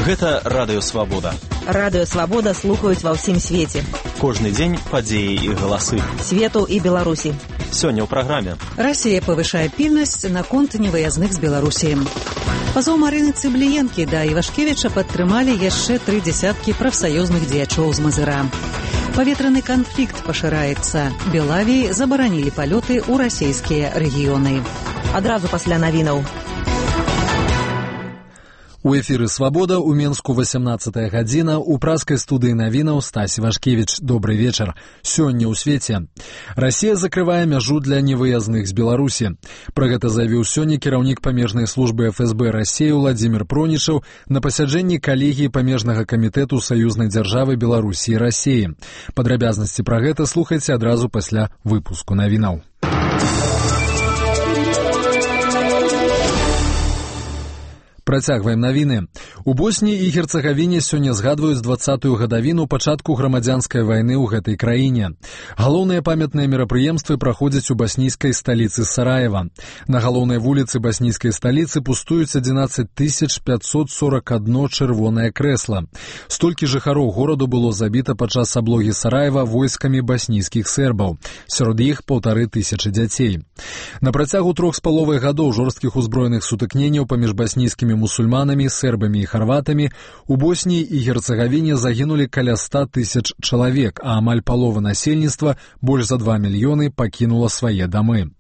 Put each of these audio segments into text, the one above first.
Гэта Радыё Свабода. Радыё Свабода слухаюць ва ўсім свеце. Кожны дзень падзеі і галасы. Свету і Беларусі. Сёння ў праграме. Расія павышае пільнасць наконт невыязных з Беларусі. Пазоў Марыны Цыбліенкі да Івашкевіча падтрымалі яшчэ 3 дзясяткі прафсаюзных дзеячоў з Мазыра. Паветраны канфлікт пашыраецца. Белавіі забаранілі палёты ў расійскія рэгіёны. Адразу пасля навінаў. У эфіры «Свабода» у Менску 18 гадзіна, у праскай студыі навінаў Стась Івашкевіч. Добры вечар. Сёння ў свеце. Расія закрывае мяжу для невыязных з Беларусі. Пра гэта заявіў сёння кіраўнік памежнай службы ФСБ Расіі Владзімір Пронічаў на пасяджэнні калегіі памежнага камітэту саюзнай дзяржавы Беларусі і Расіі. Падрабязнасці пра гэта слухайце адразу пасля выпуску навінаў. Працягваем навіны. У Босніі і Герцагавіне сёння згадваюць 20-ю гадавіну пачатку грамадзянскай вайны ў гэтай краіне. Галоўныя памятныя мерапрыемствы праходзяць у баснійскай сталіцы Сараева. На галоўнай вуліцы баснійскай сталіцы пустуюць 11 541 чырвонае крэсла. Столькі жыхароў гораду было забіта падчас аблогі Сараева войскамі баснійскіх сербаў. Сярод іх 1500 дзяцей. На працягу 3,5 гадоў жорсткіх узброеных сутыкненняў паміж баснійскімі мусульманамі, сербамі і харватамі у Босніі і Герцагавіне загінулі каля 100 000 чалавек, а амаль палова насельніцтва, больш за 2 мільёны, пакінула свае дамы.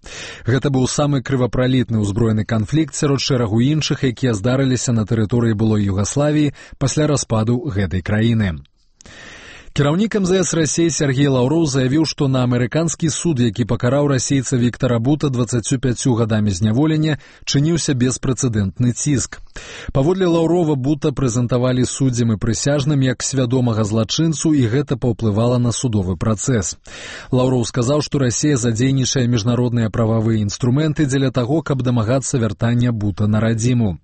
Гэта быў самы крывапралітны ўзброены канфлікт сярод шэрагу іншых, якія здарыліся на тэрыторыі былой Югаславіі пасля распаду гэтай краіны. Кіраўнік МЗС Расіі Сергей Лаўроў заявіў, што на амерыканскі суд, які пакараў расейца Віктара Бута 25 гадамі зняволення, чыніўся беспрэцэдэнтны ціск. Паводле Лаўрова Бута прэзентавалі суддзям і прысяжным як свядомага злачынцу, і гэта паўплывала на судовы працэс. Лаўроў сказаў, што Расія задзейнічае міжнародныя прававыя інструменты дзеля таго, каб дамагацца вяртання Бута на радзіму.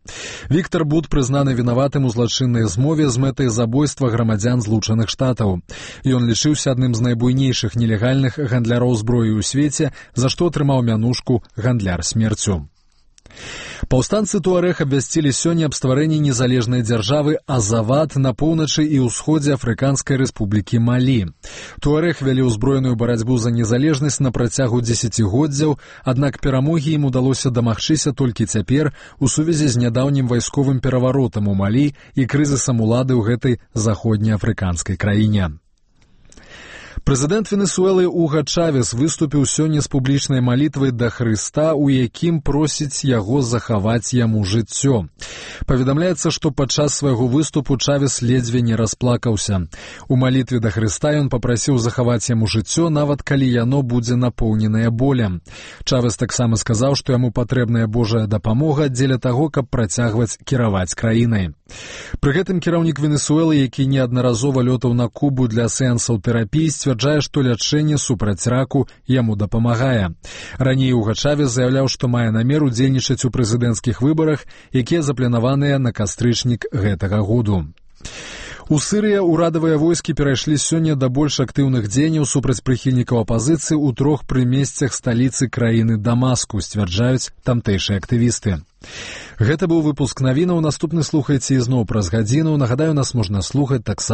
Віктар Бут прызнаны вінаватым у злачыннай змове з мэтай забойства грамадзян Злучаных Штатаў. Ён лічыўся адным з найбуйнейшых нелегальных гандляроў зброі ў свеце, за што атрымаў мянушку «гандляр смерцю». Паўстанцы Туарэг абвясцілі сёння аб стварэнні незалежнай дзяржавы Азават на поўначы і ўсходзе Афрыканскай рэспублікі Малі. Туарэг вялі ўзброеную барацьбу за незалежнасць на працягу дзесяцігоддзяў, аднак перамогі ім удалося дамагчыся толькі цяпер у сувязі з нядаўнім вайсковым пераваротам у Малі і крызісам улады ў гэтай заходнеафрыканскай краіне. Прэзідэнт Венесуэлы Уга Чавес выступіў сёння з публічнай малітвай да Хрыста, у якім просіць яго захаваць яму жыццё. Паведамляецца, што падчас свайго выступу Чавес ледзьве не расплакаўся. У малітве да Хрыста ён папрасіў захаваць яму жыццё, нават калі яно будзе напоўненае болем. Чавес таксама сказаў, што яму патрэбная Божая дапамога дзеля таго, каб працягваць кіраваць краінай. Пры гэтым кіраўнік Венесуэлы, які неаднаразова лётаў на Кубу для сеансаў тэрапіі, сцвярджае, што лячэнне супраць раку яму дапамагае. Раней Уга Чавес заяўляў, што мае намер удзельнічаць у прэзідэнцкіх выбарах, якія запланаваныя на кастрычнік гэтага году. У Сырыі ўрадавыя войскі перайшлі сёння да больш актыўных дзеянняў супраць прыхільнікаў апазіцыі ў 3 прымесцях сталіцы краіны Дамаску, сцвярджаюць тамтэйшыя актывісты. Гэта быў выпуск навінаў. Наступны слухайце ізноў праз гадзіну. Нагадаю, нас можна слухаць таксама